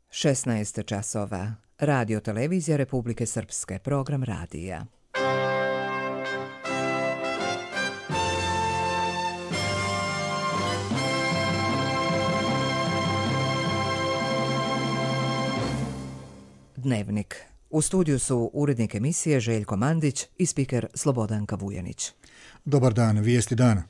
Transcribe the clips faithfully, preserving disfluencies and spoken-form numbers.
šesnaest časova. Radio televizija Republike Srpske, program radija. Dnevnik. U studiju su urednik emisije Željko Mandić i spiker Slobodanka Vujanić. Dobar dan, vijesti dana.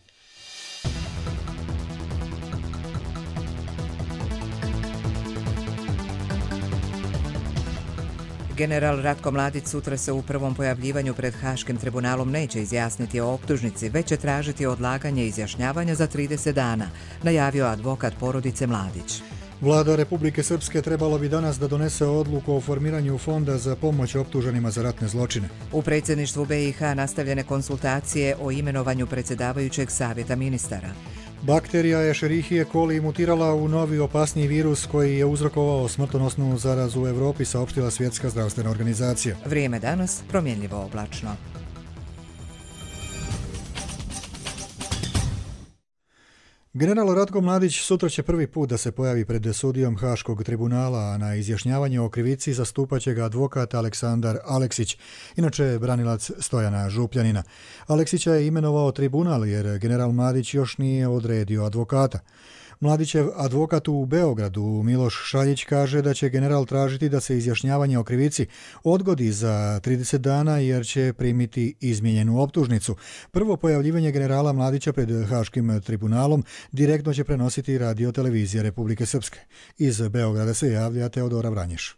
General Ratko Mladić sutra se u prvom pojavljivanju pred Haškim tribunalom neće izjasniti o optužnici, već će tražiti odlaganje izjašnjavanja za trideset dana, najavio advokat porodice Mladić. Vlada Republike Srpske trebalo bi danas da donese odluku o formiranju fonda za pomoć optuženima za ratne zločine. U predsjedništvu B i H nastavljene konsultacije o imenovanju predsjedavajućeg savjeta ministara. Bakterija Escherichia coli mutirala u novi opasniji virus koji je uzrokovao smrtonosnu zarazu u Europi, saopštila Svjetska zdravstvena organizacija. Vrijeme danas promjenljivo oblačno. General Ratko Mladić sutra će prvi put da se pojavi pred sudijom Haškog tribunala, a na izjašnjavanje o krivici zastupaće ga advokat Aleksandar Aleksić, inače branilac Stojana Župljanina. Aleksića je imenovao tribunal jer general Mladić još nije odredio advokata. Mladićev advokat u Beogradu, Miloš Šaljić, kaže da će general tražiti da se izjašnjavanje o krivici odgodi za trideset dana jer će primiti izmijenjenu optužnicu. Prvo pojavljivanje generala Mladića pred Haškim tribunalom direktno će prenositi radio televizija Republike Srpske. Iz Beograda se javlja Teodora Vranješ.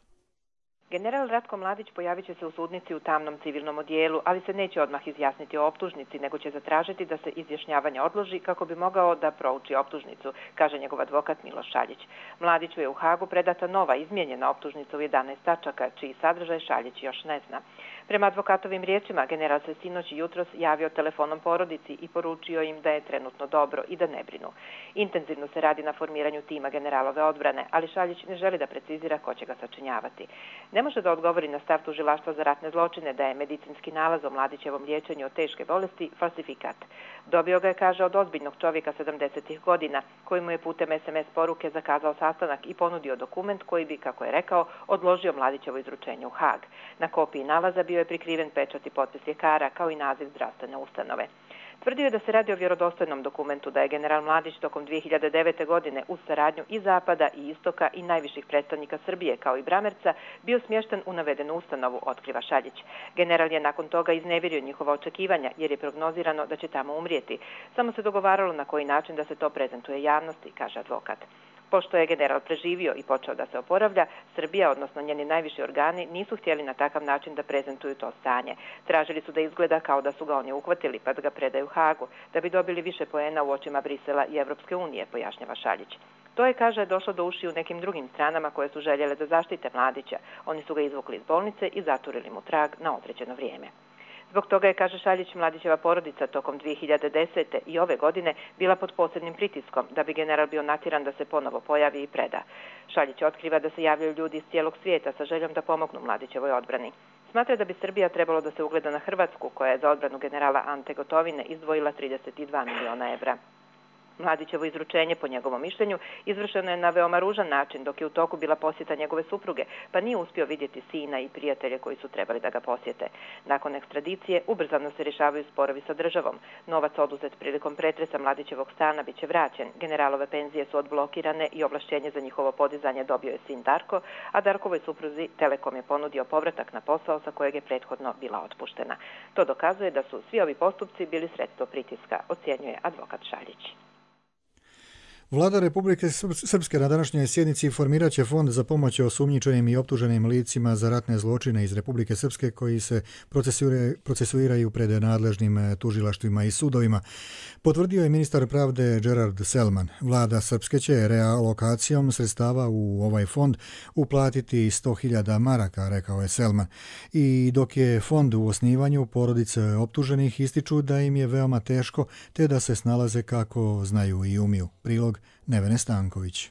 General Ratko Mladić pojavit će se u sudnici u tamnom civilnom odijelu, ali se neće odmah izjasniti o optužnici, nego će zatražiti da se izjašnjavanje odloži kako bi mogao da prouči optužnicu, kaže njegov advokat Miloš Šaljić. Mladiću je u Hagu predata nova izmijenjena optužnica u jedanaest tačaka, čiji sadržaj Šaljić još ne zna. Prema advokatovim riječima, general se sinoć i jutros javio telefonom porodici i poručio im da je trenutno dobro i da ne brinu. Intenzivno se radi na formiranju tima generalove odbrane, ali Šaljić ne želi da precizira ko će ga sačinjavati. Ne može da odgovori na stav tužilaštva za ratne zločine da je medicinski nalaz o Mladićevom liječenju od teške bolesti falsifikat. Dobio ga je, kaže, od ozbiljnog čovjeka sedamdesetih godina, koji mu je putem es em es poruke zakazao sastanak i ponudio dokument koji bi, kako je rekao, odložio Mladićevo izručenje u Hag. Na kopiji nalaza bio je prikriven pečat i potpis ljekara, kao i naziv zdravstvene ustanove. Tvrdio je da se radi o vjerodostojnom dokumentu, da je general Mladić tokom dvije hiljade devete. godine uz saradnju i Zapada i Istoka i najviših predstavnika Srbije, kao i Bramerca, bio smješten u navedenu ustanovu, otkriva Šaljić. General je nakon toga iznevirio njihova očekivanja, jer je prognozirano da će tamo umrijeti. Samo se dogovaralo na koji način da se to prezentuje javnosti, kaže advokat. Pošto je general preživio i počeo da se oporavlja, Srbija, odnosno njeni najviši organi, nisu htjeli na takav način da prezentuju to stanje. Tražili su da izgleda kao da su ga oni uhvatili pa da ga predaju Hagu, da bi dobili više poena u očima Brisela i Evropske unije, pojašnjava Šaljić. To je, kaže, došlo do uši u nekim drugim stranama koje su željele da zaštite Mladića. Oni su ga izvukli iz bolnice i zaturili mu trag na određeno vrijeme. Zbog toga je, kaže Šaljić, Mladićeva porodica tokom dvije hiljade desete. i ove godine bila pod posebnim pritiskom da bi general bio natjeran da se ponovo pojavi i preda. Šaljić otkriva da se javljaju ljudi iz cijelog svijeta sa željom da pomognu Mladićevoj odbrani. Smatra da bi Srbija trebalo da se ugleda na Hrvatsku, koja je za odbranu generala Ante Gotovine izdvojila trideset dva miliona evra. Mladićevo izručenje, po njegovom mišljenju, izvršeno je na veoma ružan način, dok je u toku bila posjeta njegove supruge, pa nije uspio vidjeti sina i prijatelje koji su trebali da ga posjete. Nakon ekstradicije, ubrzano se rješavaju sporovi sa državom. Novac oduzet prilikom pretresa Mladićevog stana biće vraćen, generalove penzije su odblokirane i ovlašćenje za njihovo podizanje dobio je sin Darko, a Darkovoj supruzi Telekom je ponudio povratak na posao sa kojeg je prethodno bila otpuštena. To dokazuje da su svi ovi postupci bili sredstvo pritiska, ocjenjuje advokat Šaljić. Vlada Republike Srpske na današnjoj sjednici formirat će fond za pomoć osumnjičenim i optuženim licima za ratne zločine iz Republike Srpske koji se procesuiraju pred nadležnim tužilaštvima i sudovima. Potvrdio je ministar pravde Gerard Selman. Vlada Srpske će realokacijom sredstava u ovaj fond uplatiti sto hiljada maraka, rekao je Selman. I dok je fond u osnivanju, porodice optuženih ističu da im je veoma teško te da se snalaze kako znaju i umiju. Prilog Nevene Stanković.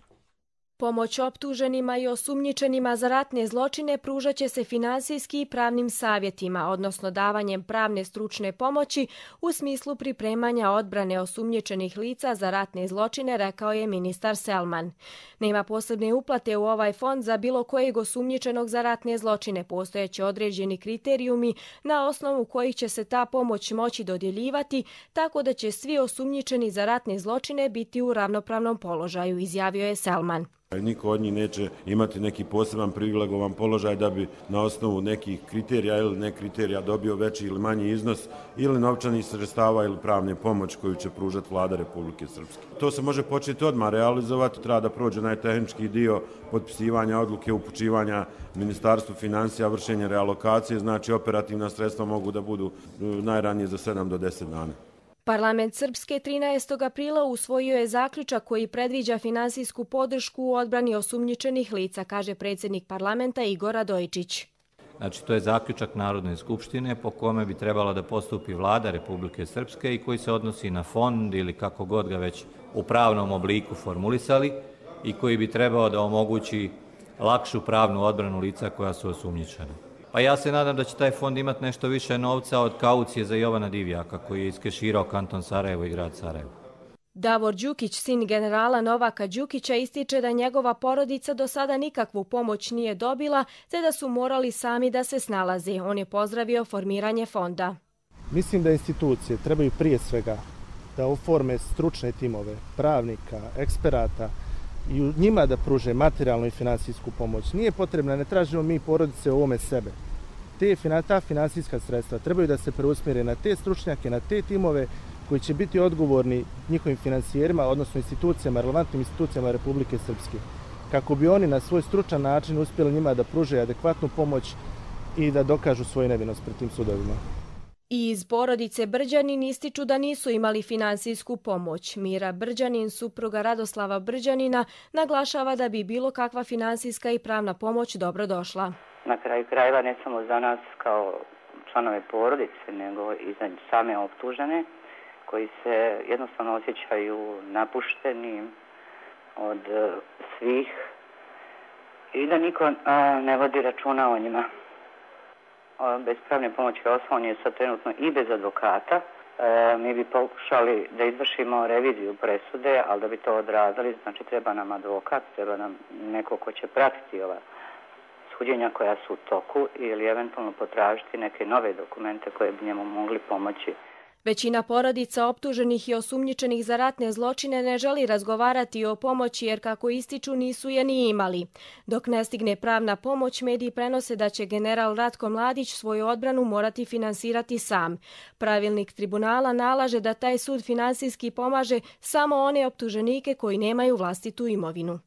Pomoć optuženima i osumnjičenima za ratne zločine pružat će se finansijski i pravnim savjetima, odnosno davanjem pravne stručne pomoći u smislu pripremanja odbrane osumnjičenih lica za ratne zločine, rekao je ministar Selman. Nema posebne uplate u ovaj fond za bilo kojeg osumnjičenog za ratne zločine. Postojeće određeni kriterijumi na osnovu kojih će se ta pomoć moći dodjeljivati, tako da će svi osumnjičeni za ratne zločine biti u ravnopravnom položaju, izjavio je Selman. Niko od njih neće imati neki poseban privilegovan položaj da bi na osnovu nekih kriterija ili ne kriterija dobio veći ili manji iznos ili novčanih sredstava ili pravne pomoć koju će pružati vlada Republike Srpske. To se može početi odmah realizovati, treba da prođe najtehnički dio potpisivanja odluke, upućivanja Ministarstvu financija, vršenje realokacije, znači operativna sredstva mogu da budu najranije za sedam do deset dana. Parlament Srpske trinaestog aprila usvojio je zaključak koji predviđa finansijsku podršku u odbrani osumnjičenih lica, kaže predsjednik parlamenta Igor Radojičić. Znači, to je zaključak Narodne skupštine po kome bi trebala da postupi vlada Republike Srpske i koji se odnosi na fond ili kako god ga već u pravnom obliku formulisali i koji bi trebao da omogući lakšu pravnu odbranu lica koja su osumnjičena. Pa ja se nadam da će taj fond imati nešto više novca od kaucije za Jovana Divjaka koji je iskeširao kanton Sarajevo i grad Sarajevo. Davor Đukić, sin generala Novaka Đukića, ističe da njegova porodica do sada nikakvu pomoć nije dobila, te da su morali sami da se snalaze. On je pozdravio formiranje fonda. Mislim da institucije trebaju prije svega da oforme stručne timove, pravnika, eksperata i u njima da pruže materijalnu i finansijsku pomoć. Nije potrebna, ne tražimo mi porodice u ovome sebe. Te, ta finansijska sredstva trebaju da se preusmjere na te stručnjake, na te timove koji će biti odgovorni njihovim finansijerima, odnosno institucijama, relevantnim institucijama Republike Srpske, kako bi oni na svoj stručan način uspjeli njima da pruže adekvatnu pomoć i da dokažu svoju nevinost pred tim sudovima. I iz porodice Brđanin ističu da nisu imali finansijsku pomoć. Mira Brđanin, supruga Radoslava Brđanina, naglašava da bi bilo kakva finansijska i pravna pomoć dobro došla. Na kraju krajeva ne samo za nas kao članove porodice, nego i za same optužene, koji se jednostavno osjećaju napušteni od svih i da niko ne vodi računa o njima. Bez pravne pomoći on je sad trenutno i bez advokata. E, mi bi pokušali da izvršimo reviziju presude, ali da bi to odradili, znači treba nam advokat, treba nam neko ko će pratiti ova suđenja koja su u toku ili eventualno potražiti neke nove dokumente koje bi njemu mogli pomoći. Većina porodica optuženih i osumnjičenih za ratne zločine ne želi razgovarati o pomoći jer, kako ističu, nisu je ni imali. Dok ne stigne pravna pomoć, mediji prenose da će general Ratko Mladić svoju odbranu morati finansirati sam. Pravilnik tribunala nalaže da taj sud finansijski pomaže samo one optuženike koji nemaju vlastitu imovinu.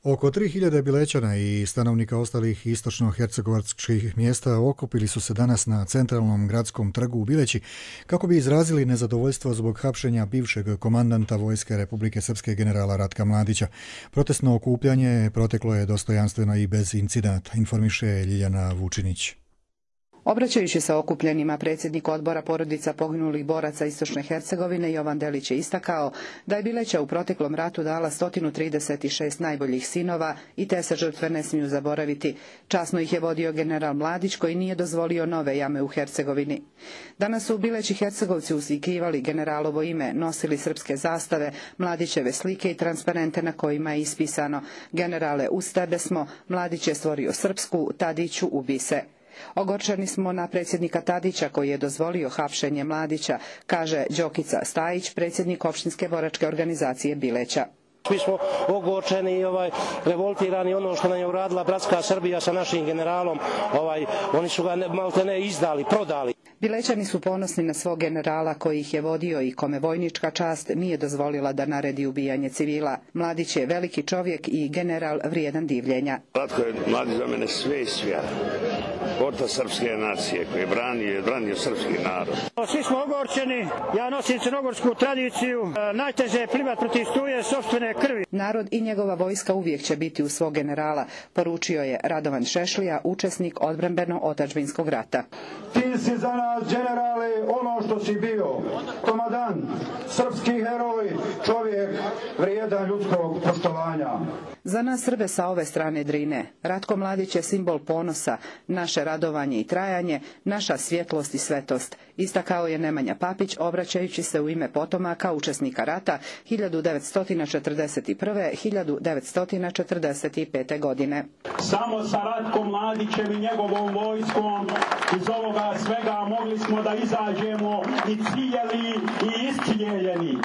Oko tri hiljade Bilećana i stanovnika ostalih istočno-hercegovačkih mjesta okupili su se danas na centralnom gradskom trgu u Bileći kako bi izrazili nezadovoljstvo zbog hapšenja bivšeg komandanta Vojske Republike Srpske generala Ratka Mladića. Protestno okupljanje proteklo je dostojanstveno i bez incidenata, informiše Ljiljana Vučinić. Obraćajući se okupljenima, predsjednik odbora porodica poginulih boraca Istočne Hercegovine Jovan Delić je istakao da je Bileća u proteklom ratu dala sto trideset šest najboljih sinova i te se žrtve ne smiju zaboraviti. Časno ih je vodio general Mladić koji nije dozvolio nove jame u Hercegovini. Danas su u Bileći Hercegovci uslikivali generalovo ime, nosili srpske zastave, Mladićeve slike i transparente na kojima je ispisano: generale, uz tebe smo, Mladić je stvorio Srpsku, Tadiću, ubi se. Ogorčeni smo na predsjednika Tadića koji je dozvolio hapšenje Mladića, kaže Đokica Stajić, predsjednik opštinske boračke organizacije Bileća. Mi smo ogorčeni i ovaj, revoltirani ono što nam je uradila bratska Srbija sa našim generalom. Ovaj, oni su ga malte ne izdali, prodali. Bilećani su ponosni na svog generala koji ih je vodio i kome vojnička čast nije dozvolila da naredi ubijanje civila. Mladić je veliki čovjek i general vrijedan divljenja. Ratko je Mladić za mene sve i svija. Orta srpske nacije koji je branio, branio srpski narod. Svi smo ogorčeni, ja nosim crnogorsku tradiciju, najteže je plivat protiv struje sopstvene krvi. Narod i njegova vojska uvijek će biti uz svog generala, poručio je Radovan Šešlija, učesnik odbrambeno-otadžbinskog rata. Ti Ti si za nas, generale, ono što si bio. Tomadan, srpski heroj, čovjek vrijedan ljudskog poštovanja. Za nas Srbe sa ove strane Drine, Ratko Mladić je simbol ponosa, naše radovanje i trajanje, naša svjetlost i svetost, istakao je Nemanja Papić, obraćajući se u ime potomaka učesnika rata hiljadu devetsto četrdeset prve do hiljadu devetsto četrdeset pete. godine. Samo sa Ratkom Mladićem i njegovom vojskom iz ovoga svega mogli smo da izađemo i ciljeli i iscijeljeni.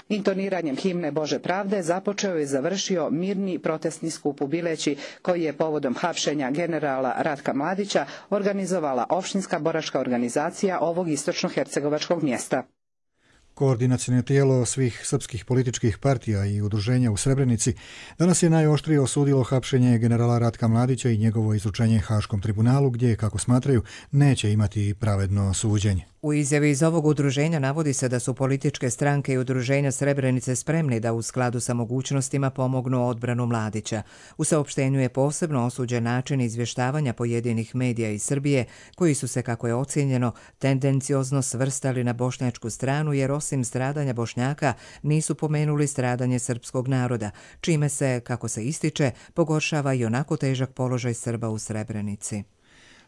Intoniranjem himne Bože pravde započeo i završio mirni protestni skup u Bileći, koji je povodom hapšenja generala Ratka Mladića organizovala opštinska boračka organizacija ovog istočno-hercegovačkog mjesta. Koordinaciono tijelo svih srpskih političkih partija i udruženja u Srebrenici danas je najoštrije osudilo hapšenje generala Ratka Mladića i njegovo izručenje Haškom tribunalu, gdje, kako smatraju, neće imati pravedno suđenje. U izjavi iz ovog udruženja navodi se da su političke stranke i udruženja Srebrenice spremni da u skladu sa mogućnostima pomognu odbranu Mladića. U saopštenju je posebno osuđen način izvještavanja pojedinih medija iz Srbije, koji su se, kako je ocijenjeno, tendenciozno svrstali na bošnjačku stranu, jer osim stradanja Bošnjaka nisu pomenuli stradanje srpskog naroda, čime se, kako se ističe, pogoršava i onako težak položaj Srba u Srebrenici.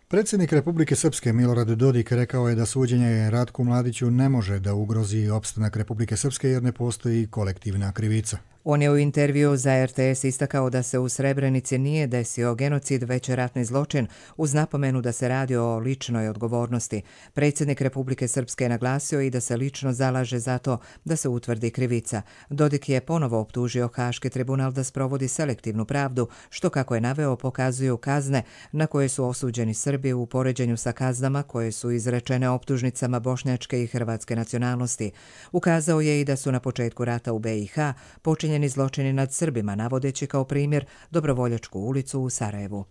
Predsjednik Republike Srpske Milorad Dodik rekao je da suđenje Ratku Mladiću ne može da ugrozi opstanak Republike Srpske jer ne postoji kolektivna krivica. On je u intervju za er te es istakao da se u Srebrenici nije desio genocid, već ratni zločin, uz napomenu da se radi o ličnoj odgovornosti. Predsjednik Republike Srpske je naglasio i da se lično zalaže za to da se utvrdi krivica. Dodik je ponovo optužio Haški tribunal da sprovodi selektivnu pravdu, što, kako je naveo, pokazuju kazne na koje su osuđeni Srbi u poređenju sa kaznama koje su izrečene optužnicama bošnjačke i hrvatske nacionalnosti. Ukazao je i da su na početku rata u be i ha počinjeni zločini nad Srbima, navodeći kao primjer Dobrovoljačku ulicu u Sarajevu.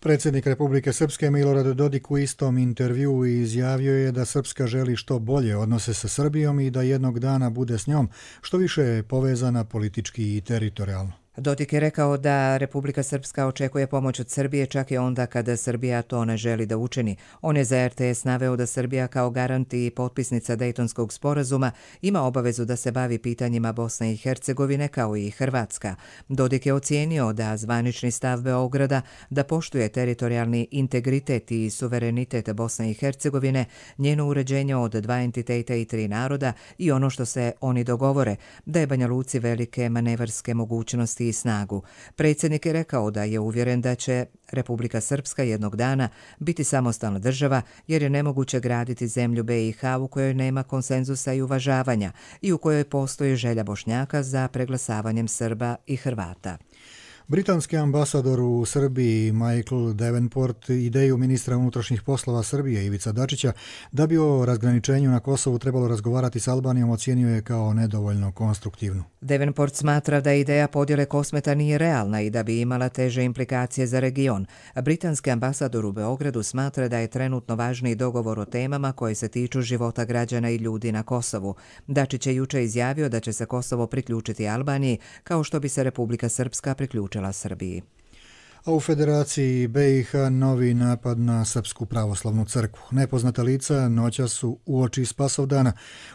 Predsjednik Republike Srpske Milorad Dodik u istom intervjuu izjavio je da Srpska želi što bolje odnose sa Srbijom i da jednog dana bude s njom što više povezana politički i teritorijalno. Dodik je rekao da Republika Srpska očekuje pomoć od Srbije čak i onda kada Srbija to ne želi da učini. On je za er te es naveo da Srbija kao garant i potpisnica Dejtonskog sporazuma ima obavezu da se bavi pitanjima Bosne i Hercegovine kao i Hrvatska. Dodik je ocijenio da zvanični stav Beograda da poštuje teritorijalni integritet i suverenitet Bosne i Hercegovine, njeno uređenje od dva entiteta i tri naroda i ono što se oni dogovore, da je Banja Luci velike manevarske mogućnosti i snagu. Predsjednik je rekao da je uvjeren da će Republika Srpska jednog dana biti samostalna država, jer je nemoguće graditi zemlju be i ha u kojoj nema konsenzusa i uvažavanja i u kojoj postoji želja Bošnjaka za preglasavanjem Srba i Hrvata. Britanski ambasador u Srbiji Michael Davenport ideju ministra unutrašnjih poslova Srbije Ivica Dačića da bi o razgraničenju na Kosovu trebalo razgovarati s Albanijom ocijenio je kao nedovoljno konstruktivnu. Davenport smatra da ideja podjele Kosmeta nije realna i da bi imala teže implikacije za region. Britanski ambasador u Beogradu smatra da je trenutno važniji dogovor o temama koje se tiču života građana i ljudi na Kosovu. Dačić je juče izjavio da će se Kosovo priključiti Albaniji kao što bi se Republika Srpska priključila Srbiji. A u Federaciji be i ha novi napad na Srpsku pravoslavnu crkvu. Nepoznata lica noćas su uoči Spasovdana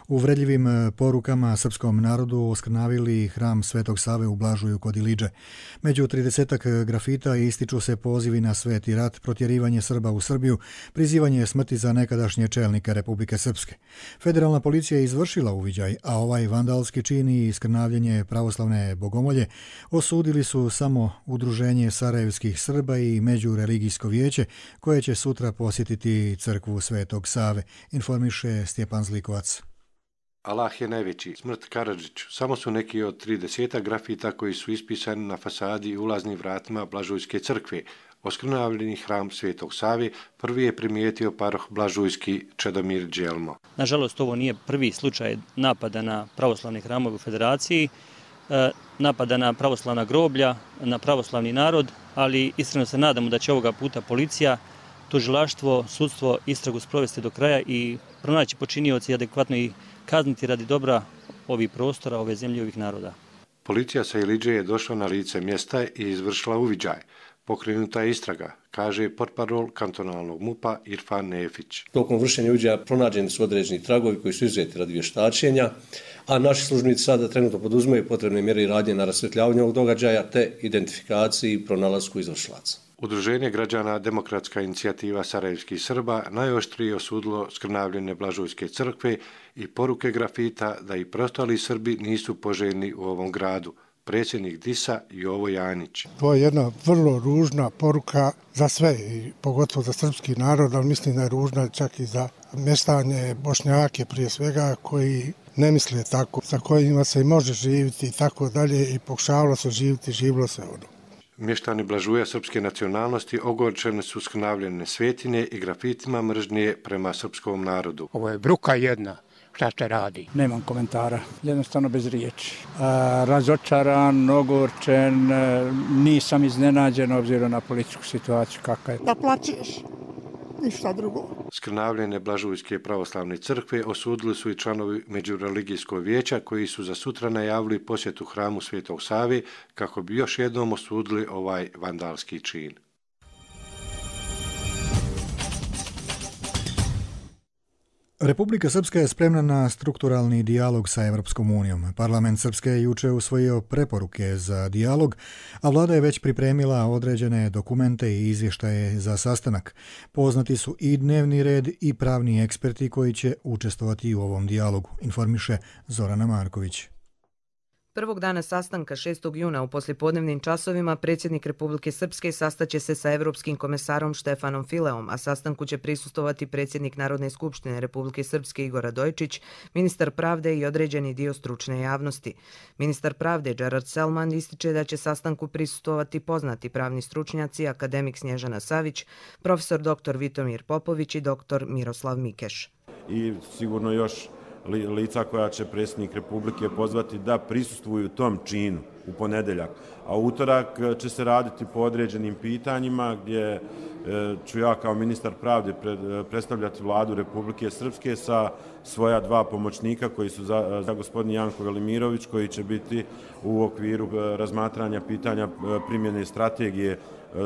uvredljivim porukama srpskom narodu oskrnavili hram Svetog Save u Blažuju kod Iliđe. Među tridesetak grafita ističu se pozivi na sveti rat, protjerivanje Srba u Srbiju, prizivanje smrti za nekadašnje čelnike Republike Srpske. Federalna policija je izvršila uviđaj, a ovaj vandalski čin i iskrnavljenje pravoslavne bogomolje osudili su samo udruženje Sarajevskih Srba i Međureligijsko vijeće, koje će sutra posjetiti crkvu Svetog Save, informiše Stjepan Zlikovac. Allah je najveći. Smrt Karadžiću. Samo su neki od trideset grafita koji su ispisani na fasadi i ulaznim vratima Blažujske crkve. Oskrnavljeni hram Svetog Save prvi je primijetio paroh Blažujski Čedomir Đelmo. Nažalost, ovo nije prvi slučaj napada na pravoslavne hramove u Federaciji, napada na pravoslavna groblja, na pravoslavni narod, ali iskreno se nadamo da će ovoga puta policija, tužilaštvo, sudstvo istragu sprovesti do kraja i pronaći počinioci i adekvatno ih kazniti radi dobra ovih prostora, ove zemlje i ovih naroda. Policija sa Iliđe je došla na lice mjesta i izvršila uviđaj. Pokrenuta je istraga, kaže portparol kantonalnog MUP-a Irfan Nefić. Tokom vršenja uviđaja pronađeni su određeni tragovi koji su izuzeti radi vještačenja, a naši službenici sada trenutno poduzimaju potrebne mjere i radnje na rasvjetljavanju ovog događaja te identifikaciji i pronalasku izvršilaca. Udruženje građana Demokratska inicijativa Sarajevskih Srba najoštrije osudilo skrnavljene Blažujske crkve i poruke grafita da i preostali Srbi nisu poželjni u ovom gradu. Predsjednik D I S-a Jovo Janić. To je jedna vrlo ružna poruka za sve, i pogotovo za srpski narod, ali mislim da je ružna čak i za mještane, Bošnjake prije svega, koji ne misle tako, sa kojima se i može živjeti i tako dalje, i pokušavalo se živjeti, živilo se ono. Mještani Blažuja srpske nacionalnosti ogorčene su skrnavljene svetine i grafitima mržnje prema srpskom narodu. Ovo je bruka jedna. Šta se radi? Nemam komentara, jednostavno bez riječi. A, razočaran, ogorčen, nisam iznenađen obzirom na političku situaciju kakva je. Da plaćeš, ništa drugo. Skrnavljene Blažujske pravoslavne crkve osudili su i članovi Međureligijskog vijeća koji su za sutra najavili posjetu hramu Svetog Save kako bi još jednom osudili ovaj vandalski čin. Republika Srpska je spremna na strukturalni dijalog sa Evropskom unijom. Parlament Srpske je juče usvojio preporuke za dijalog, a vlada je već pripremila određene dokumente i izvještaje za sastanak. Poznati su i dnevni red i pravni eksperti koji će učestvovati u ovom dijalogu, informiše Zorana Marković. Prvog dana sastanka šestog juna u poslijepodnevnim časovima predsjednik Republike Srpske sastaće se sa Evropskim komesarom Štefanom Fileom, a sastanku će prisustovati predsjednik Narodne skupštine Republike Srpske Igor Radojičić, ministar pravde i određeni dio stručne javnosti. Ministar pravde Gerard Selman ističe da će sastanku prisustovati poznati pravni stručnjaci, akademik Snježana Savić, profesor doktor Vitomir Popović i doktor Miroslav Mikeš. I sigurno još lica koja će predsjednik Republike pozvati da prisustvuju tom činu u ponedeljak. A utorak će se raditi po određenim pitanjima gdje ću ja kao ministar pravde predstavljati vladu Republike Srpske sa svoja dva pomoćnika koji su za, za gospodin Janko Velimirović koji će biti u okviru razmatranja pitanja primjene strategije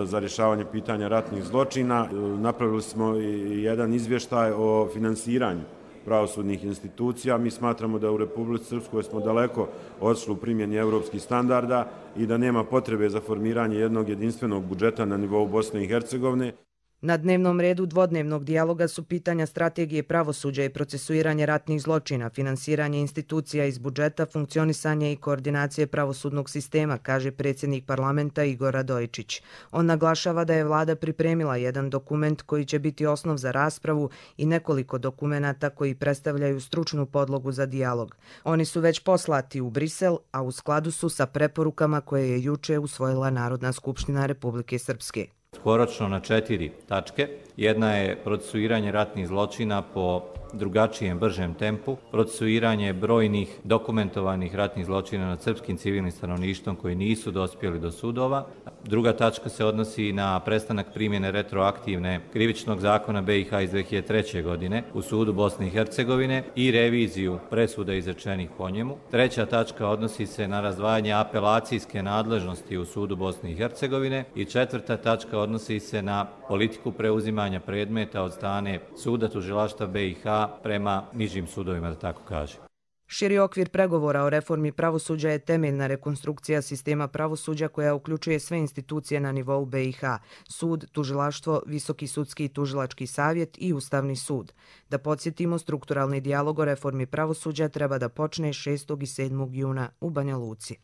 za rješavanje pitanja ratnih zločina. Napravili smo i jedan izvještaj o finansiranju pravosudnih institucija. Mi smatramo da u Republici Srpskoj smo daleko odšli u primjeni evropskih standarda i da nema potrebe za formiranje jednog jedinstvenog budžeta na nivou Bosne i Hercegovine. Na dnevnom redu dvodnevnog dijaloga su pitanja strategije pravosuđa i procesuiranje ratnih zločina, finansiranje institucija iz budžeta, funkcionisanje i koordinacije pravosudnog sistema, kaže predsjednik parlamenta Igor Radojičić. On naglašava da je vlada pripremila jedan dokument koji će biti osnov za raspravu i nekoliko dokumenata koji predstavljaju stručnu podlogu za dijalog. Oni su već poslati u Brisel, a u skladu su sa preporukama koje je juče usvojila Narodna skupština Republike Srpske. Skoročno na četiri tačke. Jedna je procesuiranje ratnih zločina po drugačijem, bržem tempu, procesuiranje brojnih dokumentovanih ratnih zločina nad srpskim civilnim stanovništvom koji nisu dospjeli do sudova. Druga tačka se odnosi na prestanak primjene retroaktivne krivičnog zakona B i H iz dve hiljade treće. godine u sudu Bosne i Hercegovine i reviziju presuda izrečenih po njemu. Treća tačka odnosi se na razdvajanje apelacijske nadležnosti u sudu Bosne i Hercegovine i četvrta tačka odnosi se na politiku preuzimanja predmeta od strane suda tužilaštva B i H prema nižim sudovima, da tako kaže. Širi okvir pregovora o reformi pravosuđa je temeljna rekonstrukcija sistema pravosuđa koja uključuje sve institucije na nivou B i H, sud, tužilaštvo, Visoki sudski i tužilački savjet i Ustavni sud. Da podsjetimo, strukturalni dijalog o reformi pravosuđa treba da počne šestog i sedmog juna u Banja Luci.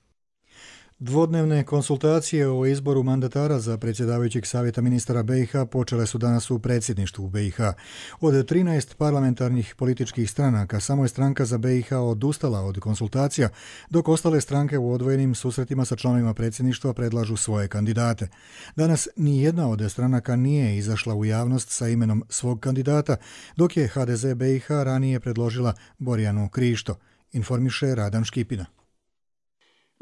Dvodnevne konsultacije o izboru mandatara za predsjedavajućeg savjeta ministara B i H počele su danas u predsjedništvu B i H. Od trinaest parlamentarnih političkih stranaka samo je stranka za B i H odustala od konsultacija, dok ostale stranke u odvojenim susretima sa članovima predsjedništva predlažu svoje kandidate. Danas ni jedna od stranaka nije izašla u javnost sa imenom svog kandidata, dok je H D Z B i H ranije predložila Borjanu Krišto, informiše Radan Škipina.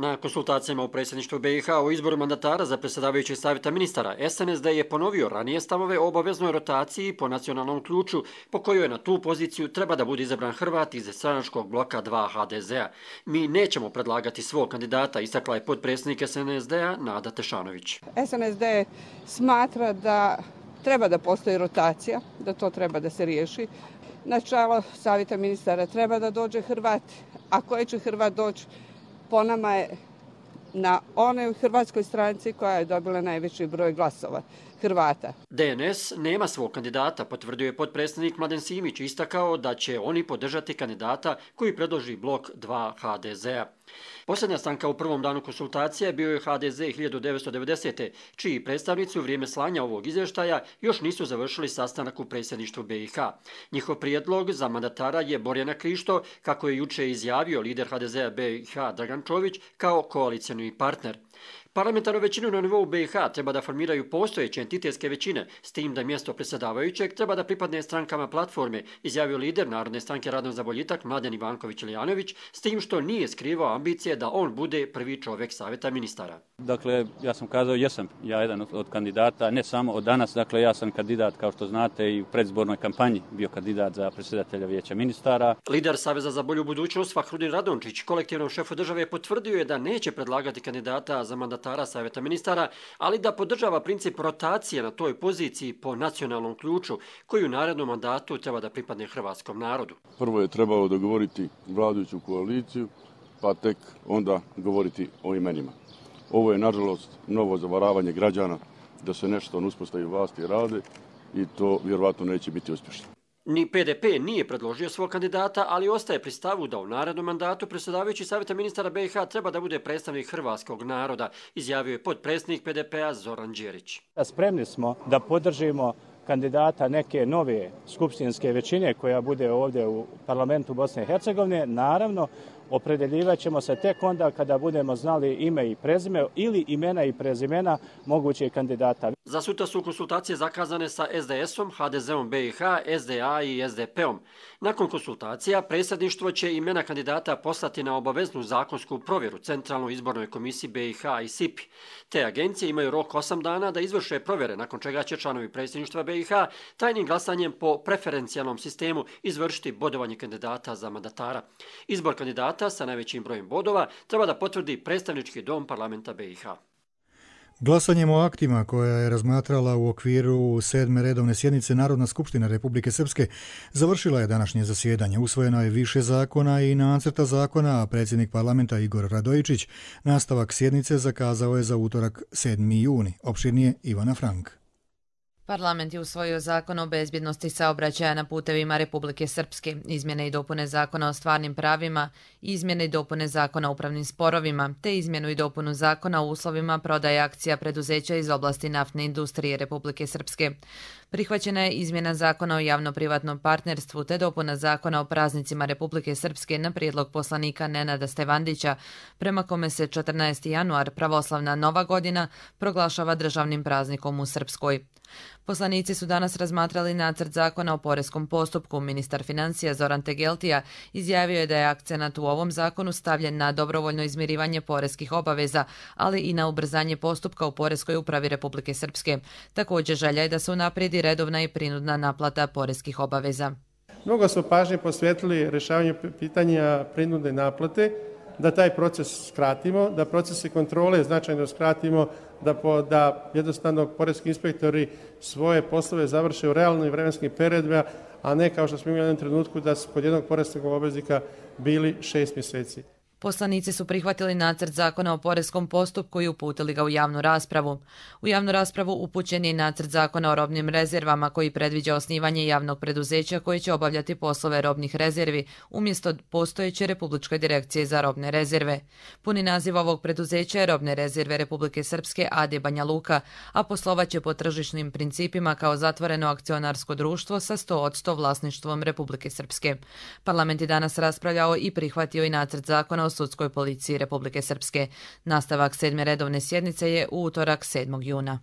Na konsultacijama u predsjedništvu B i H o izboru mandatara za predsjedavajućeg savjeta ministara, S N S D je ponovio ranije stavove o obaveznoj rotaciji po nacionalnom ključu, po kojoj na tu poziciju treba da bude izabran Hrvat iz stranačkog bloka dva H D Z-a. Mi nećemo predlagati svog kandidata, istakla je potpredsjednik S N S D-a Nada Tešanović. S N S D smatra da treba da postoji rotacija, da to treba da se riješi. Na čelo savjeta ministara treba da dođe Hrvat, a koji će Hrvat doći po nama je na onoj hrvatskoj stranci koja je dobila najveći broj glasova Hrvata. D N S nema svog kandidata, potvrdio je potpredsjednik Mladen Simić, istakao da će oni podržati kandidata koji predloži blok dva H D Z-a. Posljednja stanka u prvom danu konsultacije bio je H D Z hiljadu devetsto devedesete. čiji predstavnici u vrijeme slanja ovog izvještaja još nisu završili sastanak u predsjedništvu B i H. Njihov prijedlog za mandatara je Borjana Krišto, kako je juče izjavio lider H D Z-a B i H Dragan Čović, kao koalicijni partner. Parlamentarnu većinu na nivou B i H treba da formiraju postojeće entitetske većine, s tim da mjesto predsjedavajućeg treba da pripadne strankama platforme, izjavio lider Narodne stranke Radno za boljitak Mladen Ivanković-Ilijanović, s tim što nije skrivao ambicije da on bude prvi čovjek savjeta ministara. Dakle, ja sam kazao, jesam ja jedan od, od kandidata, ne samo od danas, dakle ja sam kandidat, kao što znate, i u predizbornoj kampanji bio kandidat za predsjedatelja vijeća ministara. Lider Saveza za bolju budućnost Fahrudin Radončić kolektivnom šefu države potvrdio je da neće predlagati kandidata za mandatara savjeta ministara, ali da podržava princip rotacije na toj poziciji po nacionalnom ključu, koji u narednom mandatu treba da pripadne hrvatskom narodu. Prvo je trebalo dogovoriti vladajuću koaliciju, pa tek onda govoriti o imenima. Ovo je, nažalost, novo zavaravanje građana da se nešto na uspostavi vlasti rade i to vjerovatno neće biti uspješno. Ni P D P nije predložio svog kandidata, ali ostaje pri stavu da u narednom mandatu predsjedavajući savjeta ministara B i H treba da bude predstavnik hrvatskog naroda, izjavio je potpredsjednik P D P-a Zoran Đerić. Spremni smo da podržimo kandidata neke nove skupštinske većine koja bude ovdje u parlamentu Bosne i Hercegovine. Naravno, opredeljivat ćemo se tek onda kada budemo znali ime i prezime ili imena i prezimena mogućih kandidata. Za sutra su konsultacije zakazane sa S D S-om, H D Z-om B i H, S D A i S D P-om. Nakon konsultacija, predsjedništvo će imena kandidata poslati na obaveznu zakonsku provjeru Centralnoj izbornoj komisiji B i H i S I P-i. Te agencije imaju rok osam dana da izvrše provjere, nakon čega će članovi predsjedništva B i H tajnim glasanjem po preferencijalnom sistemu izvršiti bodovanje kandidata za mandatara. Izbor kandidata sa najvećim brojem bodova treba da potvrdi predstavnički dom parlamenta B i H. Glasanjem o aktima koja je razmatrala u okviru sedme redovne sjednice Narodna skupština Republike Srpske završila je današnje zasjedanje. Usvojeno je više zakona i nacrta zakona, a predsjednik parlamenta Igor Radojičić nastavak sjednice zakazao je za utorak sedmi juni. Opširnije Ivana Frank. Parlament je usvojio zakon o bezbjednosti saobraćaja na putevima Republike Srpske, izmjene i dopune zakona o stvarnim pravima, izmjene i dopune zakona o upravnim sporovima, te izmjenu i dopunu zakona o uslovima prodaje akcija preduzeća iz oblasti naftne industrije Republike Srpske. Prihvaćena je izmjena zakona o javno-privatnom partnerstvu te dopuna zakona o praznicima Republike Srpske na prijedlog poslanika Nenada Stevandića, prema kome se četrnaesti januar, pravoslavna Nova godina, proglašava državnim praznikom u Srpskoj. Poslanici su danas razmatrali nacrt zakona o poreskom postupku. Ministar financija Zoran Tegeltija izjavio je da je akcenat u ovom zakonu stavljen na dobrovoljno izmirivanje poreskih obaveza, ali i na ubrzanje postupka u poreskoj upravi Republike Srpske. Također želja je da se unaprijedi redovna i prinudna naplata poreskih obaveza. Mnogo smo pažnje posvetili rješavanju pitanja prinudne naplate, da taj proces skratimo, da procese kontrole značajno skratimo, da, po, da jednostavno poreski inspektori svoje poslove završe u realnim vremenskim periodima, a ne kao što smo imali u jednom trenutku da su kod jednog poreskog obveznika bili šest mjeseci. Poslanici su prihvatili nacrt zakona o poreskom postupku i uputili ga u javnu raspravu. U javnu raspravu upućen je nacrt zakona o robnim rezervama koji predviđa osnivanje javnog preduzeća koji će obavljati poslove robnih rezervi umjesto postojeće Republičke direkcije za robne rezerve. Puni naziv ovog preduzeća je Robne rezerve Republike Srpske A D Banja Luka, a poslovaće po tržišnim principima kao zatvoreno akcionarsko društvo sa sto posto vlasništvom Republike Srpske. Parlament je danas raspravljao i prihvatio i nacrt zakona o sudskoj policiji Republike Srpske. Nastavak sedme redovne sjednice je u utorak sedmog juna.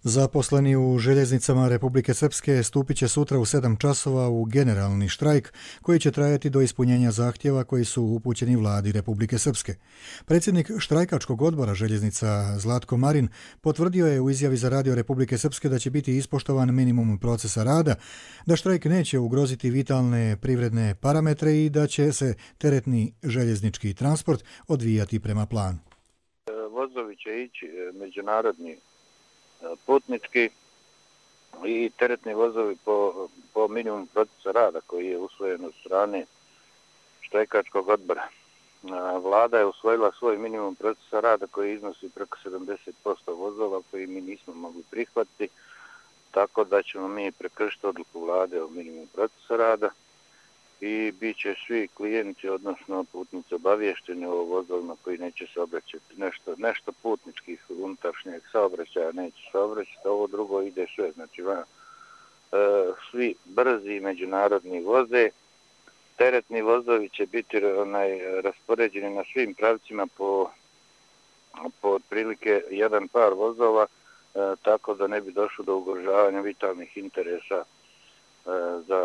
Zaposleni u željeznicama Republike Srpske stupit će sutra u sedam časova u generalni štrajk koji će trajati do ispunjenja zahtjeva koji su upućeni vladi Republike Srpske. Predsjednik štrajkačkog odbora željeznica Zlatko Marin potvrdio je u izjavi za radio Republike Srpske da će biti ispoštovan minimum procesa rada, da štrajk neće ugroziti vitalne privredne parametre i da će se teretni željeznički transport odvijati prema planu. Vozovi će ići međunarodni putnički i teretni vozovi po, po minimumu procesa rada koji je usvojen od strane štrajkačkog odbora. Vlada je usvojila svoj minimum procesa rada koji iznosi preko sedamdeset posto vozova koji mi nismo mogli prihvatiti, tako da ćemo mi prekršiti odluku vlade o minimumu procesa rada i bit će svi klijenti, odnosno putnici, obavješteni o vozovima koji neće saobraćati. Nešto, nešto putničkih unutrašnjeg saobraćaja neće saobraćati, ovo drugo ide sve. Znači, e, svi brzi međunarodni voze, teretni vozovi će biti onaj, raspoređeni na svim pravcima po, po otprilike jedan par vozova, e, tako da ne bi došlo do ugrožavanja vitalnih interesa za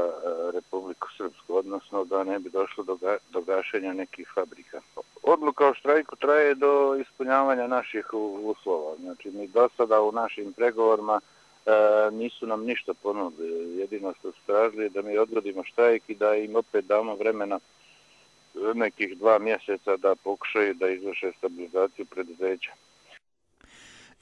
Republiku Srpsku, odnosno da ne bi došlo do, ga, do gašenja nekih fabrika. Odluka o štrajku traje do ispunjavanja naših uslova. Znači, mi do sada u našim pregovorima e, nisu nam ništa ponudili. Jedino što su tražili da mi odgodimo štrajk i da im opet damo vremena nekih dva mjeseca da pokušaju da izvrše stabilizaciju preduzeća.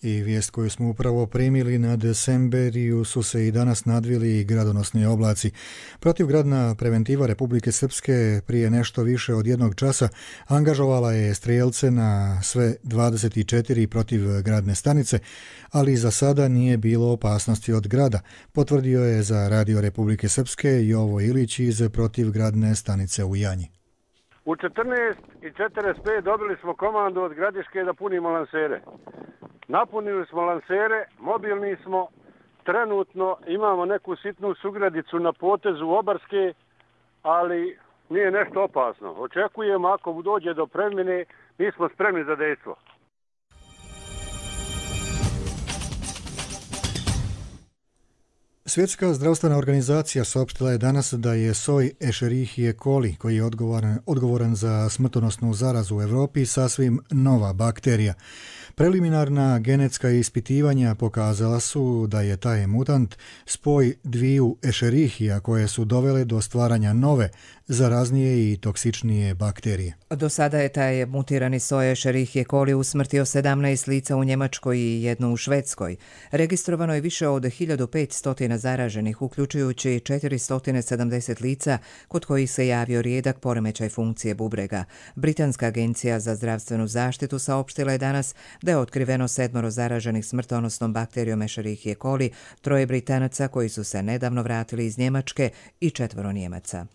I vijest koju smo upravo primili nad Semberiju su se i danas nadvili gradonosni oblaci. Protivgradna preventiva Republike Srpske prije nešto više od jednog časa angažovala je strijelce na sve dvadeset četiri protivgradne stanice, ali za sada nije bilo opasnosti od grada, potvrdio je za radio Republike Srpske Jovo Ilić iz protivgradne stanice u Janji. U četrnaest i četrdeset pet dobili smo komandu od Gradiške da punimo lansere. Napunili smo lansere, mobilni smo, trenutno imamo neku sitnu sugradicu na potezu Obarske, ali nije nešto opasno. Očekujemo ako dođe do premjene, mi smo spremni za dejstvo. Svjetska zdravstvena organizacija saopštila je danas da je soj Escherichie coli, koji je odgovoran, odgovoran za smrtonosnu zarazu u Europi, sasvim nova bakterija. Preliminarna genetska ispitivanja pokazala su da je taj mutant spoj dviju Escherichia koje su dovele do stvaranja nove, zaraznije i toksičnije bakterije. Do sada je taj mutirani soj Escherichie coli usmrtio sedamnaest lica u Njemačkoj i jedno u Švedskoj. Registrovano je više od hiljadu petsto zaraženih, uključujući četiristo sedamdeset lica kod kojih se javio rijedak poremećaj funkcije bubrega. Britanska agencija za zdravstvenu zaštitu saopštila je danas da je otkriveno sedmoro zaraženih smrtonosnom bakterijom Escherichie coli, troje Britanaca koji su se nedavno vratili iz Njemačke i četvoro Njemaca.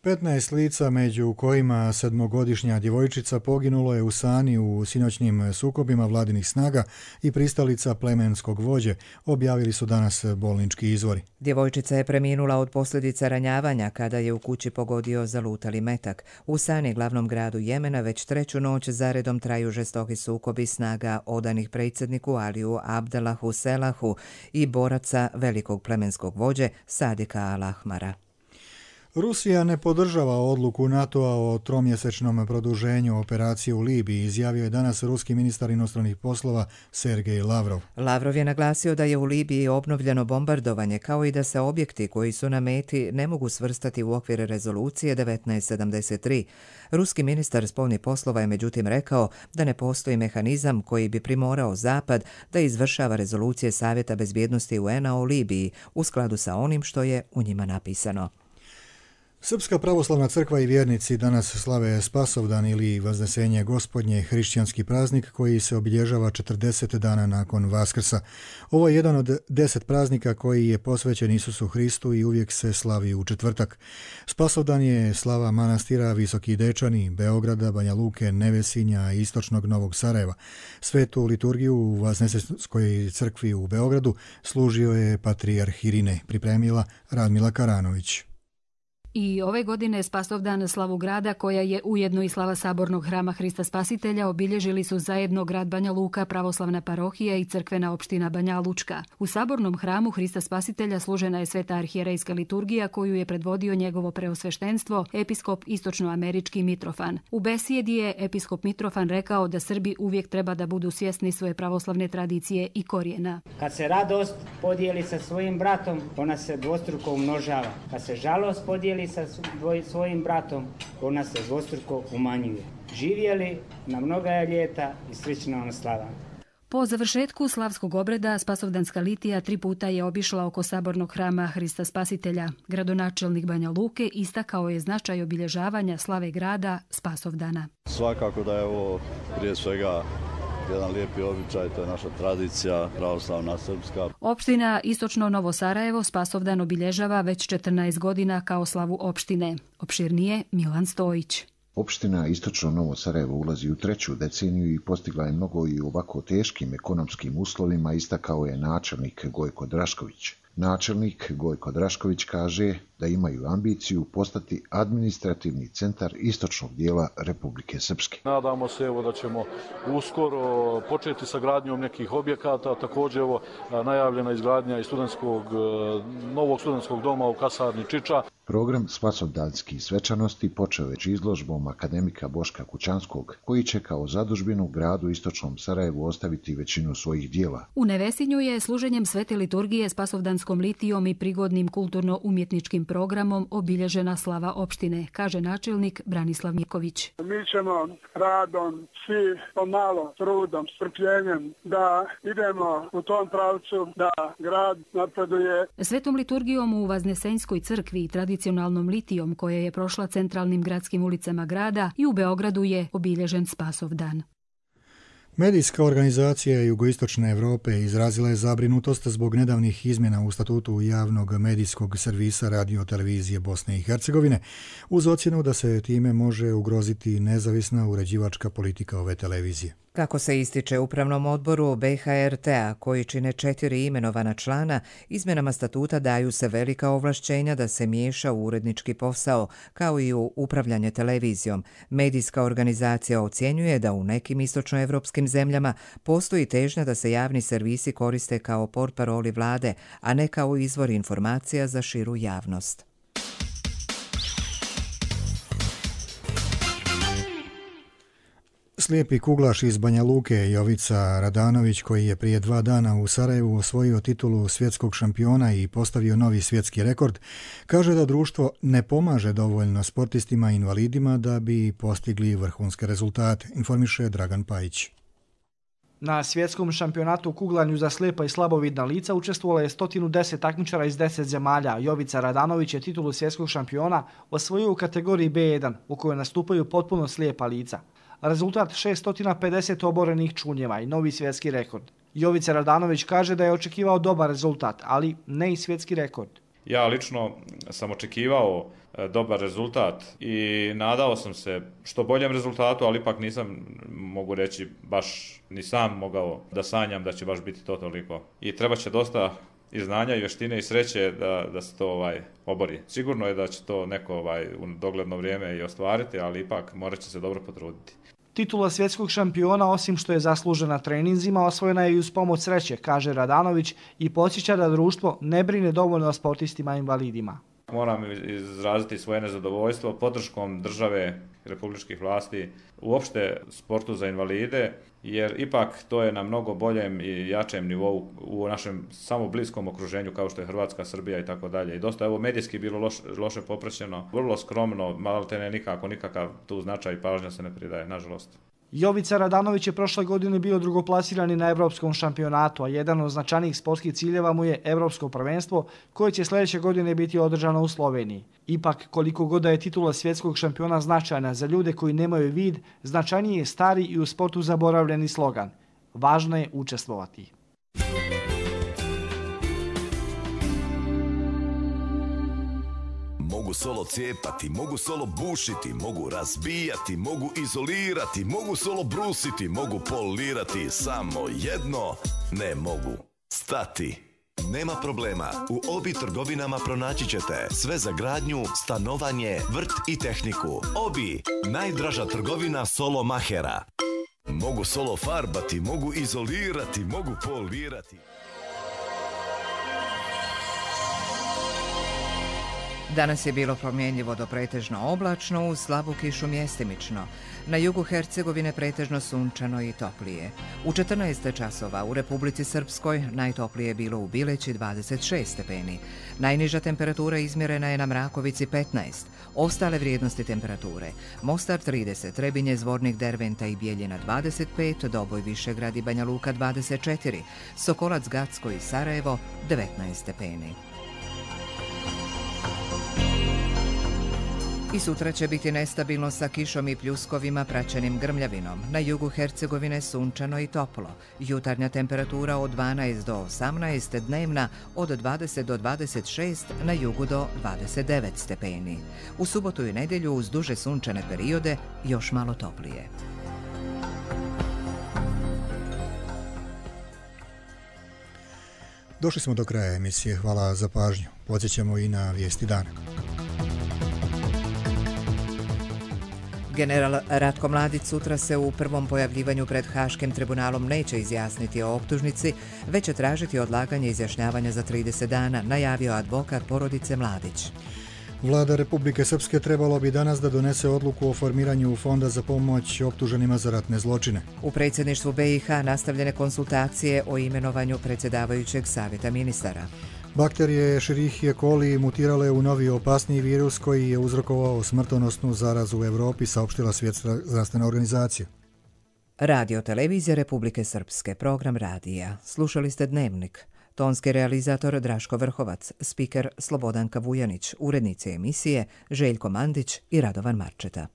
petnaest lica, među kojima sedmogodišnja djevojčica, poginulo je u Sani u sinoćnim sukobima vladinih snaga i pristalica plemenskog vođe, objavili su danas bolnički izvori. Djevojčica je preminula od posljedica ranjavanja kada je u kući pogodio zalutali metak. U Sani, glavnom gradu Jemena, već treću noć zaredom traju žestoki sukobi snaga odanih predsjedniku Aliju Abdelahu Selahu i boraca velikog plemenskog vođe Sadika Al-Ahmara. Rusija ne podržava odluku NATO-a o tromjesečnom produženju operacije u Libiji, izjavio je danas ruski ministar inostranih poslova Sergej Lavrov. Lavrov je naglasio da je u Libiji obnovljeno bombardovanje, kao i da se objekti koji su na meti ne mogu svrstati u okvir rezolucije devetnaest sedamdeset tri. Ruski ministar spoljnih poslova je međutim rekao da ne postoji mehanizam koji bi primorao Zapad da izvršava rezolucije Savjeta bezbjednosti U N-a o Libiji u skladu sa onim što je u njima napisano. Srpska pravoslavna crkva i vjernici danas slave Spasovdan ili Vaznesenje Gospodnje, hrišćanski praznik koji se obilježava četrdeset dana nakon Vaskrsa. Ovo je jedan od deset praznika koji je posvećen Isusu Hristu i uvijek se slavi u četvrtak. Spasovdan je slava manastira Visoki Dečani, Beograda, Banja Luke, Nevesinja i istočnog Novog Sarajeva. Svetu liturgiju u Vaznesenskoj crkvi u Beogradu služio je patrijarh Irine, pripremila Radmila Karanović. I ove godine Spasovdan slavu grada, koja je ujedno i slava Sabornog hrama Hrista Spasitelja, obilježili su zajedno grad Banja Luka, pravoslavna parohija i crkvena opština Banja Lučka. U Sabornom hramu Hrista Spasitelja služena je sveta arhijerejska liturgija koju je predvodio njegovo preosveštenstvo, episkop istočnoamerički Mitrofan. U besjedi je episkop Mitrofan rekao da Srbi uvijek treba da budu svjesni svoje pravoslavne tradicije i korijena. Kad se radost podijeli sa svojim bratom, ona se dvostruko umnožava. Kad se žalost podijeli sa svojim bratom, ona se dvostruko umanjuje. Živjeli na mnoga ljeta i slično vam slava. Po završetku slavskog obreda Spasovdanska litija tri puta je obišla oko Sabornog hrama Hrista Spasitelja. Gradonačelnik Banja Luke istakao je značaj obilježavanja slave grada Spasovdana. Svakako da je ovo prije svega jedan lijepi običaj, to je naša tradicija, pravoslavna srpska. Opština Istočno Novo Sarajevo Spasovdan obilježava već četrnaest godina kao slavu opštine. Opširnije Milan Stojić. Opština Istočno Novo Sarajevo ulazi u treću deceniju i postigla je mnogo i u ovako teškim ekonomskim uslovima, istakao je načelnik Gojko Drašković. Načelnik Gojko Drašković kaže da imaju ambiciju postati administrativni centar istočnog dijela Republike Srpske. Nadamo se evo da ćemo uskoro početi sa gradnjom nekih objekata, također evo najavljena izgradnja i studentskog, novog studentskog doma u kasarni Čiča. Program Spasovdanskih svečanosti počeo već izložbom akademika Boška Kućanskog, koji će kao zadužbinu u gradu Istočnom Sarajevu ostaviti većinu svojih dijela. U Nevesinju je služenjem svete liturgije Spasovdanskom litijom i prigodnim kulturno-umjetničkim programom obilježena slava opštine, kaže načelnik Branislav Miković. Mi ćemo radom, svi pomalo, trudom, strpljenjem da idemo u tom pravcu da grad napreduje. Svetom liturgijom u Vaznesenjskoj crkvi i tradicionalnom litijom koja je prošla centralnim gradskim ulicama grada i u Beogradu je obilježen Spasovdan. Medijska organizacija Jugoistočne Evrope izrazila je zabrinutost zbog nedavnih izmjena u statutu javnog medijskog servisa radio-televizije Bosne i Hercegovine, uz ocjenu da se time može ugroziti nezavisna uređivačka politika ove televizije. Kako se ističe Upravnom odboru B H R T-a, koji čine četiri imenovana člana, izmjenama statuta daju se velika ovlašćenja da se miješa u urednički posao, kao i u upravljanje televizijom. Medijska organizacija ocjenjuje da u nekim istočnoevropskim zemljama postoji težnja da se javni servisi koriste kao portparoli vlade, a ne kao izvor informacija za širu javnost. Slijepi kuglaš iz Banja Luke Jovica Radanović, koji je prije dva dana u Sarajevu osvojio titulu svjetskog šampiona i postavio novi svjetski rekord, kaže da društvo ne pomaže dovoljno sportistima i invalidima da bi postigli vrhunske rezultate, informiše Dragan Pajić. Na svjetskom šampionatu u kuglanju za slijepa i slabovidna lica učestvovalo je sto deset takmičara iz deset zemalja. Jovica Radanović je titulu svjetskog šampiona osvojio u kategoriji B jedan, u kojoj nastupaju potpuno slijepa lica. Rezultat šest pedeset oborenih čunjeva i novi svjetski rekord. Jovica Radanović kaže da je očekivao dobar rezultat, ali ne i svjetski rekord. Ja lično sam očekivao dobar rezultat i nadao sam se što boljem rezultatu, ali ipak nisam, mogu reći, baš ni sam mogao da sanjam da će baš biti to toliko. I treba će dosta i znanja i vještine i sreće da, da se to ovaj, obori. Sigurno je da će to neko ovaj, u dogledno vrijeme i ostvariti, ali ipak morat će se dobro potruditi. Titula svjetskog šampiona, osim što je zaslužena treninzima, osvojena je i uz pomoć sreće, kaže Radanović i podsjeća da društvo ne brine dovoljno o sportistima i invalidima. Moram izraziti svoje nezadovoljstvo podrškom države, republičkih vlasti, uopšte sportu za invalide, jer ipak to je na mnogo boljem i jačem nivou u našem samo bliskom okruženju kao što je Hrvatska, Srbija i tako dalje. I dosta je ovo medijski bilo loš, loše popraćeno, vrlo skromno, malo te ne nikako, nikakav tu značaj i pažnja se ne pridaje, nažalost. Jovica Radanović je prošle godine bio drugoplasirani na evropskom šampionatu, a jedan od značajnijih sportskih ciljeva mu je evropsko prvenstvo koje će sljedeće godine biti održano u Sloveniji. Ipak, koliko god da je titula svjetskog šampiona značajna za ljude koji nemaju vid, značajniji je stari i u sportu zaboravljeni slogan. Važno je učestvovati. Mogu solo cijepati, mogu solo bušiti, mogu razbijati, mogu izolirati, mogu solo brusiti, mogu polirati, samo jedno ne mogu stati. Nema problema, u Obi trgovinama pronaći ćete sve za gradnju, stanovanje, vrt i tehniku. Obi, najdraža trgovina solo mahera. Mogu solo farbati, mogu izolirati, mogu polirati. Danas je bilo promjenjivo do pretežno oblačno, uz slabu kišu mjestimično. Na jugu Hercegovine pretežno sunčano i toplije. U četrnaest časova u Republici Srpskoj najtoplije je bilo u Bileći dvadeset šest stepeni. Najniža temperatura izmjerena je na Mrakovici petnaest. Ostale vrijednosti temperature: Mostar trideset, Trebinje, Zvornik, Derventa i Bijeljina dvadeset pet, Doboj, Višegrad i Banja Luka dvadeset četiri, Sokolac, Gacko i Sarajevo devetnaest stepeni. I sutra će biti nestabilno sa kišom i pljuskovima praćenim grmljavinom. Na jugu Hercegovine sunčano i toplo. Jutarnja temperatura od dvanaest do osamnaest, dnevna od dvadeset do dvadeset šest, na jugu do dvadeset devet stepeni. U subotu i nedjelju uz duže sunčane periode još malo toplije. Došli smo do kraja emisije. Hvala za pažnju. Podsjećamo i na vijesti dana. General Ratko Mladić sutra se u prvom pojavljivanju pred Haškim tribunalom neće izjasniti o optužnici, već će tražiti odlaganje izjašnjavanja za trideset dana, najavio advokat porodice Mladić. Vlada Republike Srpske trebalo bi danas da donese odluku o formiranju fonda za pomoć optuženima za ratne zločine. U predsjedništvu B i H nastavljene konsultacije o imenovanju predsjedavajućeg savjeta ministara. Bakterije Escherichia coli mutirale u novi opasniji virus koji je uzrokovao smrtonosnu zarazu u Europi, saopštila Svjetska zdravstvena organizacija. Radio televizija Republike Srpske, program radija. Slušali ste Dnevnik. Tonski realizator Draško Vrhovac, spiker Slobodanka Vujanić, urednici emisije Željko Mandić i Radovan Marčeta.